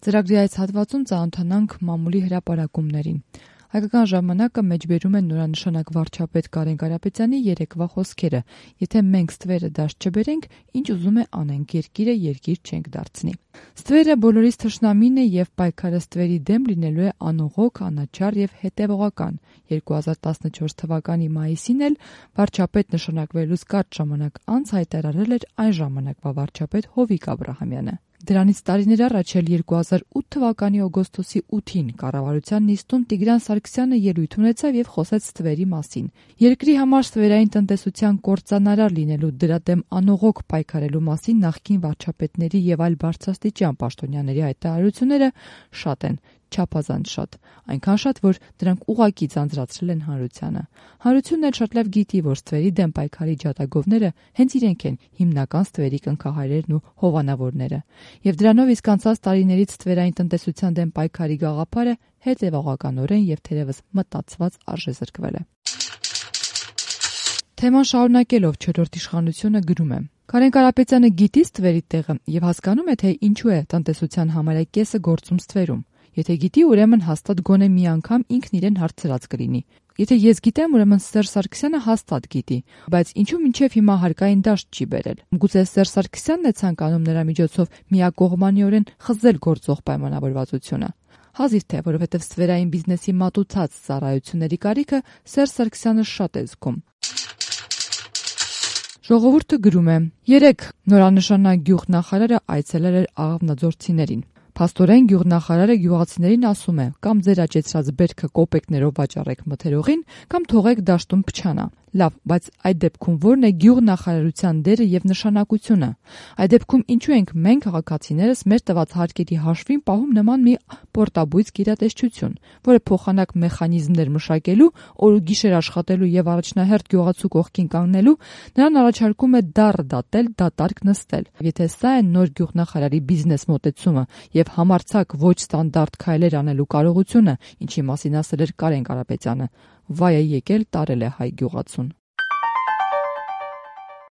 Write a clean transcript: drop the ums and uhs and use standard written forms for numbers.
Ծրագրի այս հատվածում ծանոթանանք մամուլի հրապարակումներին։ Հայկական ժամանակը մեջբերում են նորանշանակ վարչապետ Կարեն Կարապետյանի երեկվա խոսքերը. եթե մենք ստվերը դաշտ չբերենք, ինչ ուզում է անենք, երկիրը երկիր չենք դարձնի։ Ստվերը բոլորիս թշնամին է եւ պայքարը ստվերի դեմ լինելու է անողոք, անաչառ եւ հետեւողական։ 2014 թվականի մայիսին էլ վարչապետ նշանակվելուց կարճ ժամանակ անց հայտարարել էր այն ժամանակվա վարչապետ Հովիկ Աբրահամյանը։ Դրանից տարիներ առաջ էլ 2008 թվականի օգոստոսի 8-ին կառավարության նիստում Տիգրան Սարգսյանը ելույթ ունեցավ եւ խոսեց ստվերի մասին։ Երկրի համար ստվերային տնտեսության կործանարար լինելու, դրա դեմ անողոք պայքարելու մասին նախկին վարչապետների եւ այլ բարձրաստիճան պաշտոնյաների հայտարարությունները շատ են, չափազանց շատ, այնքան շատ, որ դրանք ուղղակի ձանձրացրել են հանրությանը։ Հանրությունն էլ շատ լավ գիտի, որ ստվերի դեմ պայքարի ջատագովները հենց իրենք են հիմնական ստվերի կնքահայրերն ու հովանավորները։ Եվ դրանով իսկ անցած տարիներից ստվերային տնտեսության դեմ պայքարի գաղափարը հետևողականորեն եւ թերևս մտածված արժեզրկվել է։ Թեման շարունակելով չորրորդ իշխանությունը գրում է. Կարեն Կարապետյանը գիտի ստվերի տեղը եւ հասկանում է, թե ինչու է տնտեսության համարյա կեսը գործում ստվերում։ Եթե գիտի, ուրեմն հաստատ գոնե մի անգամ ինքն իրեն հարցրած կլինի։ Եթե ես գիտեմ, ուրեմն Սերժ Սարգսյանը հաստատ գիտի, բայց ինչու մինչև հիմա հարկային դաշտ չի բերել։ Գուցե Սերժ Սարգսյանն է ցանկանում նրա միջոցով միակողմանիորեն խզել գործող պայմանավորվածությունը։ Հազիվ թե, որովհետև ստվերային բիզնեսի մատուցած ծառայությունների կարիքը Սերժ Սարգսյանը շատ է զգում։ Ժողովուրդը գրում է. երեկ նորանշանակ գյուղնախարարը այցելել էր աղավնաձորցիներին։ Փաստորեն գյուղնախարարը գյուղացիներին ասում է. կամ ձեր աճեցրած բերքը կոպեկներով վաճառեք մթերողին, կամ թողեք դաշտում փչանա։ Լավ, բայց այդ դեպքում ո՞րն է գյուղնախարարության դերը եւ նշանակությունը։ Այդ դեպքում ինչու ենք մենք քաղաքացիներս մեր տված հարկերի հաշվին պահում նման մի պորտաբույծ գերատեսչություն, որը փոխանակ մեխանիզմներ մշակելու, օր ու գիշեր աշխատելու եւ առաջնահերթ գյուղացու կողքին կանգնելու, նրան առաջարկում է դառը դատել, դատարկ նստել։ Եթե սա է նոր գյուղնախարարի բիզնես մոտեցումը եւ համարձակ ոչ ստանդարտ քայլեր անելու կարողությունը, ինչի մասին ասել էր Կարեն Կարապետյանը, վայ է եկել տարել է հայ գյուղացուն։